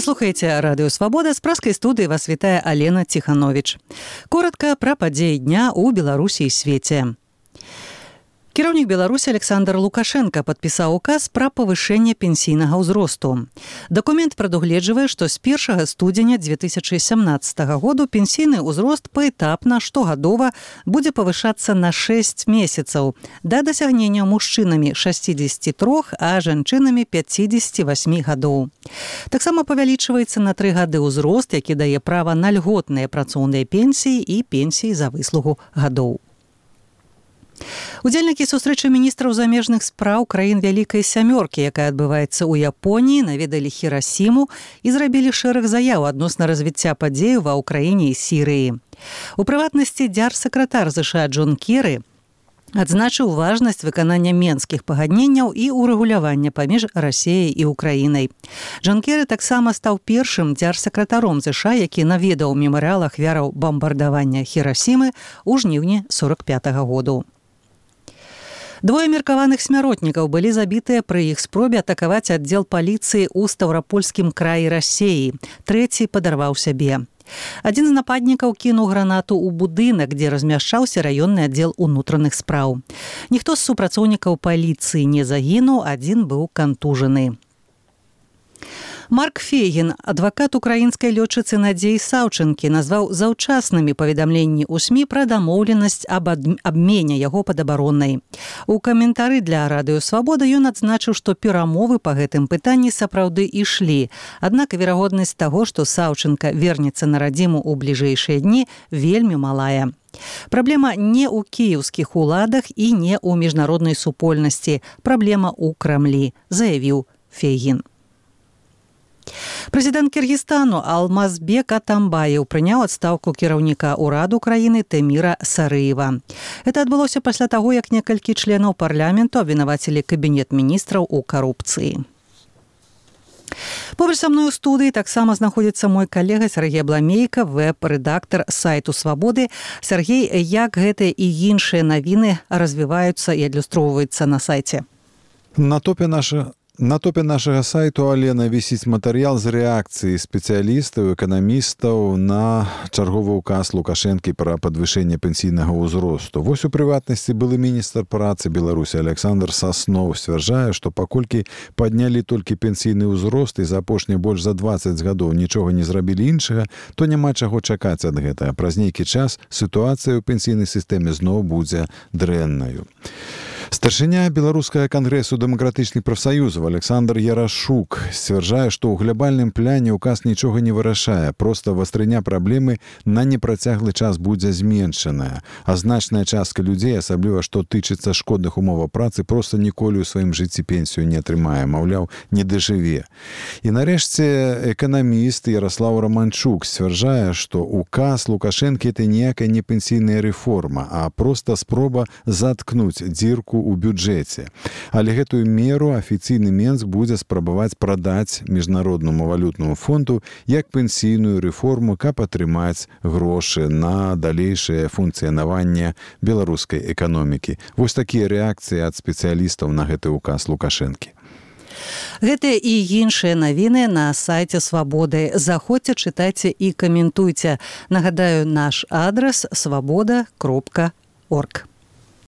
Вы слухаеце радыё Свабода, з праскай студыі вас вітае Алена Ціхановіч. Коратка пра падзеі дня ў Беларусі і свеце. Кіраўнік Беларусі Александр Лукашенко падпісаў указ пра павышэнне пенсійнага ўзросту. Дакумент прадугледжвае, што з 1 студзеня 2017 году пенсійны ўзрост паэтапна штогадова будзе павышацца на 6 месяцаў да дасягнення мужчынамі 63, а жанчынамі 58 гадоў. Таксама павялічваецца на 3 гады ўзрост, які дае права на льготныя працоўныя пенсіі і пенсіі за выслугу гадоў. Удзельнікі сустрэчы міністраў замежных спраў краін Вялікай Сямёркі, якая адбываецца ў Японіі, наведалі Хірасіму і зрабілі шэраг заяў адносна развіцця падзеяў ва ўкраіне і Сірыі. У прыватнасці дзяржсакратар ЗША Джон Керры адзначыў важнасць выканання менскіх пагадненняў і ўрэгулявання паміж Расіяй і Украінай. Джон Керры таксама стаў першым дзяржсакратаром ЗША, які наведаў мемарыял ахвяраў бамбардавання Хірасімы ў жніўні 45-го году. Двое меркаваных смяротнікаў былі забітыя пры іх спробе атакаваць аддзел паліцыі ў Стаўрапольскім краі Расіі. Трэці падарваў сябе. Адзін з нападнікаў кінуў гранату ў будынак, дзе размяшчаўся раённы аддзел унутраных спраў. Ніхто з супрацоўнікаў паліцыі не загінуў, адзін быў кантужаны. Марк Фейгін, адвакат украінскай лётчыцы Надзеі Саўчынкі, назваў заўчаснымі паведамленні ў СМІ пра дамоўленасць аб абмене яго падабароннай. У каментары для радыё Свабода ён адзначыў, што перамовы па гэтым пытанні сапраўды ішлі. Аднак верагоднасць таго, што Саўчынка вернецца на радзіму ў бліжэйшыя дні, вельмі малая. Праблема не ў кіеўскіх уладах і не ў міжнароднай супольнасці. Праблема ў Крамлі, заявіў Фейгін. Прэзідэнт Кіргізстану Алмазбек Атамбаев прыняў адстаўку кіраўніка ўраду краіны Тэміра Сарыева. Гэта адбылося пасля таго, як некалькі членаў парламенту абвінавацілі кабінет міністраў у карупцыі. Побач са мной у студыі таксама знаходзіцца мой калега Сергей Бламейка, вэб-рэдактар сайту Свабоды. Сергей, як гэтыя і іншыя навіны развіваюцца і адлюстроўваюцца на сайце? На топе нашага сайту, Алена, вісіць матэрыял з рэакцыі спецыялістаў, эканамістаў на чарговы ўказ Лукашэнкі пра падвышэнне пенсійнага ўзросту. Вось у прыватнасці былы міністр працы Беларусі Александр Саснов сцвярджае, што паколькі паднялі толькі пенсійны ўзрост і за апошнія больш за 20 гадоў нічога не зрабілі іншага, то няма чаго чакаць ад гэтага. Праз нейкі час сітуацыя ў пенсійнай сістэме зноў будзе дрэннаю. Старшыня Беларускага кангрэсу дэмакратычных прафсаюзаў Александр Ярашук сцвярджае, што ў глобальным пляне ўказ нічога не вырашае, проста вастрыня праблемы на непрацяглы час будзе зменшаная, а значная частка людзей, асабліва што тычыцца шкодных умоваў працы, проста ніколі ў сваім жыцці пенсію не атрымае, маўляў, не дажыве. І нарэшце эканаміст Ярослаў Романчук сцвярджае, што ўказ Лукашэнкі это ніякая не пенсійная рэформа, а проста спроба заткнуць дзірку у бюджэце. Але гэтую меру афіцыйны Менск будзе спрабаваць прадаць міжнароднаму валютнаму фонду як пенсійную рэформу, каб атрымаць грошы на далейшае функцыянаванне беларускай эканомікі. Вось такія рэакцыі ад спецыялістаў на гэты ўказ Лукашэнкі. Гэтыя і іншыя навіны на сайце Свабоды. Заходзьце, чытайце і каментуйце. Нагадаю, наш адрас свабода.орг.